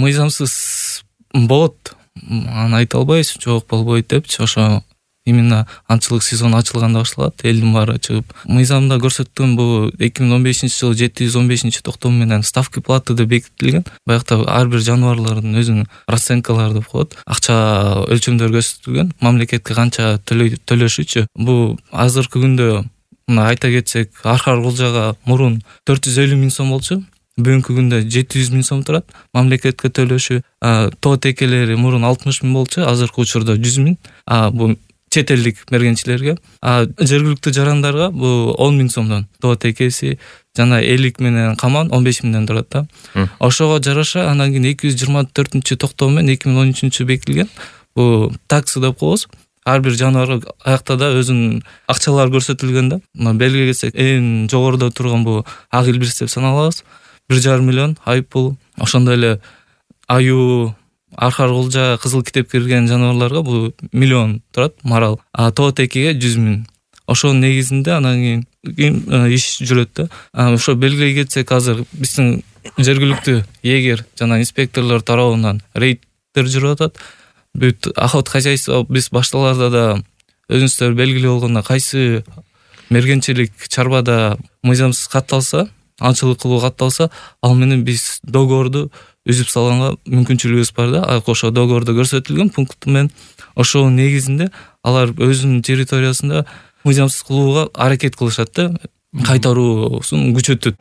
мыйзамсыз болот, аны айта албайбыз, жок болбойт депчи. Ошо именно аңчылык сезону ачылганда башталат, элдин баары чыгып. Мыйзамда көрсөткөн бул 2015-жылы 715-токтом менен ставки платы деп бекитилген. Баягы ар бир жаныбарлардын өзүнүн расценкалары деп коет. Акча өлчөмдөр көрсөтүлгөн, мамлекетке канча төлөшүчү. Бул азыркы күндө мына айта кетсек, Архар Кулжага мурун 450 000 сом болчу. Бүгүнкү күндө 700 000 сом турат мамлекетке төлөшү. Тоо текелери мурун 60 000 болчу, азыркы учурда 100 000. Бул чет элдик мергенчилерге. Жергиликтүү жарандарга бул 10 000 сомдон тоо текеси жана элик менен каман 15 000ден турат да. Ошого жараша андан кийин 224-токтом менен 2013 бекитилген. Бул таксы деп коебуз. Ар бир жаныбар аякта да өзүнүн акчалары көрсөтүлгөн да. Мына белгилей кетсек, эң жогоруда турган бул ак илбирс деп саналабыз. 1,5 миллион айып бул. Ошондой эле аю, Архар Кулжа, кызыл китепке кирген жаныбарларга бул миллион турат марал. Тоо текеге 100 000. Ошонун негизинде анан кийин иш жүрөт да. Ошо белгилей кетсек, азыр биздин жергиликтүү эгер жана инспекторлор тарабынан рейдтер жүрүп атат. Бүт ахот хозяйство биз башталарда да өзүңүздөр белгилүү болгондой, кайсы мергенчилик чарбада мыйзамсыз катталса, аңчылык кылуу катталса, ал менен биз договорду үзүп салганга мүмкүнчүлүгүбүз бар да. Ошо договордо көрсөтүлгөн пункт менен ошонун негизинде алар өзүнүн территориясында мыйзамсыз кылууга аракет кылышат да, кайтаруусун күчөтөт.